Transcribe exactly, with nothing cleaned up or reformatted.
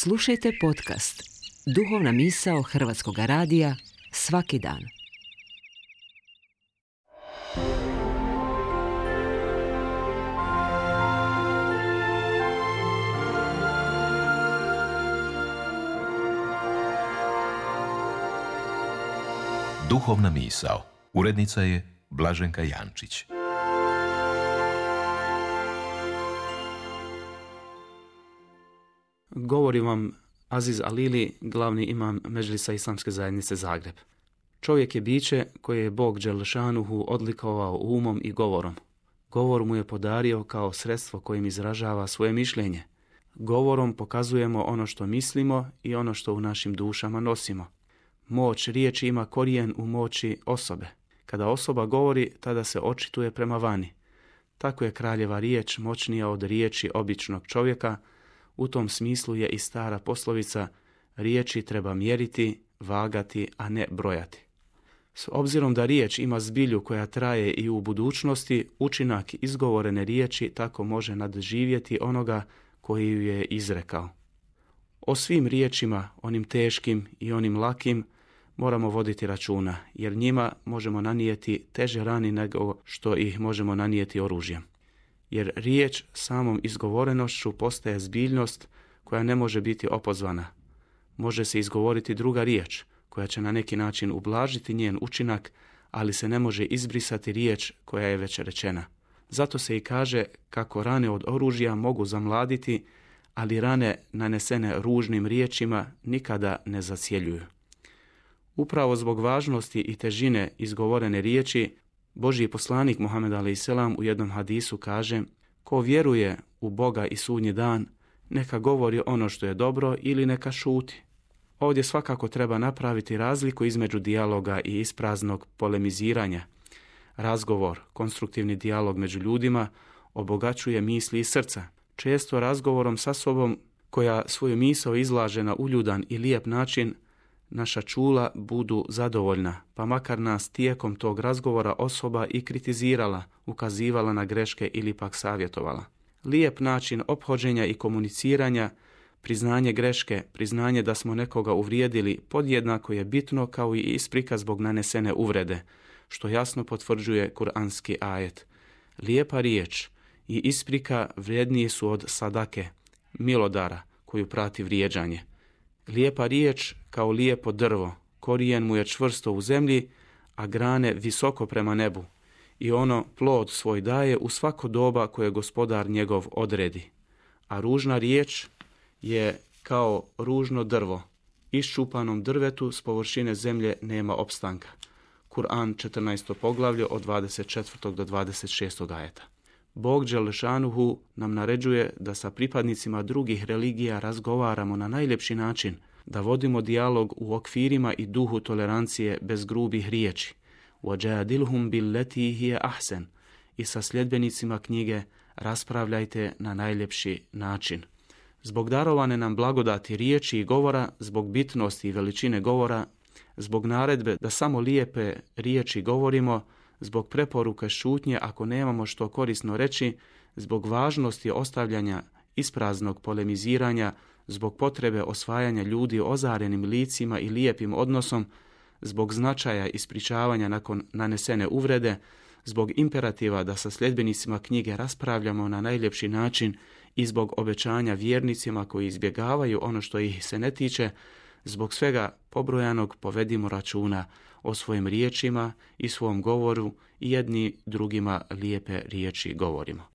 Slušajte podcast Duhovna misao Hrvatskog radija svaki dan. Duhovna misao. Urednica je Blaženka Jančić. Govori vam Aziz Alili, glavni imam Medžlisa Islamske zajednice Zagreb. Čovjek je biće koje je Bog Đelešanuhu odlikovao umom i govorom. Govor mu je podario kao sredstvo kojim izražava svoje mišljenje. Govorom pokazujemo ono što mislimo i ono što u našim dušama nosimo. Moć riječi ima korijen u moći osobe. Kada osoba govori, tada se očituje prema vani. Tako je kraljeva riječ moćnija od riječi običnog čovjeka. U tom smislu je i stara poslovica: riječi treba mjeriti, vagati, a ne brojati. S obzirom da riječ ima zbilju koja traje i u budućnosti, učinak izgovorene riječi tako može nadživjeti onoga koji ju je izrekao. O svim riječima, onim teškim i onim lakim, moramo voditi računa, jer njima možemo nanijeti teže rani nego što ih možemo nanijeti oružjem. Jer riječ samom izgovorenošću postaje zbiljnost koja ne može biti opozvana. Može se izgovoriti druga riječ koja će na neki način ublažiti njen učinak, ali se ne može izbrisati riječ koja je već rečena. Zato se i kaže kako rane od oružja mogu zamladiti, ali rane nanesene ružnim riječima nikada ne zacjeljuju. Upravo zbog važnosti i težine izgovorene riječi, Božji poslanik Muhammed alejhi selam u jednom hadisu kaže: ko vjeruje u Boga i sudnji dan, neka govori ono što je dobro ili neka šuti. Ovdje svakako treba napraviti razliku između dijaloga i ispraznog polemiziranja. Razgovor, konstruktivni dijalog među ljudima, obogaćuje misli i srca. Često razgovorom sa sobom, koja svoju misao izlaže na uljudan i lijep način, naša čula budu zadovoljna, pa makar nas tijekom tog razgovora osoba i kritizirala, ukazivala na greške ili pak savjetovala. Lijep način ophođenja i komuniciranja, priznanje greške, priznanje da smo nekoga uvrijedili, podjednako je bitno kao i isprika zbog nanesene uvrede, što jasno potvrđuje kuranski ajet. Lijepa riječ i isprika vrijedniji su od sadake, milodara koju prati vrijeđanje. Lijepa riječ kao lijepo drvo, korijen mu je čvrsto u zemlji, a grane visoko prema nebu, i ono plod svoj daje u svako doba koje gospodar njegov odredi. A ružna riječ je kao ružno drvo, iščupanom drvetu s površine zemlje nema opstanka. Kur'an četrnaesto poglavlje od dvadeset četvrtog do dvadeset šestog ajeta. Bog Đelešanuhu nam naređuje da sa pripadnicima drugih religija razgovaramo na najljepši način, da vodimo dijalog u okvirima i duhu tolerancije bez grubih riječi. وَجَادِلْهُمْ بِالَّتِي هِيَ أَحْسَنُ I sa sljedbenicima knjige raspravljajte na najljepši način. Zbog darovane nam blagodati riječi i govora, zbog bitnosti i veličine govora, zbog naredbe da samo lijepe riječi govorimo, zbog preporuke šutnje ako nemamo što korisno reći, zbog važnosti ostavljanja ispraznog polemiziranja, zbog potrebe osvajanja ljudi ozarenim licima i lijepim odnosom, zbog značaja ispričavanja nakon nanesene uvrede, zbog imperativa da sa sljedbenicima knjige raspravljamo na najljepši način i zbog obećanja vjernicima koji izbjegavaju ono što ih se ne tiče, zbog svega pobrojanog povedimo računa o svojim riječima i svom govoru i jedni drugima lijepe riječi govorimo.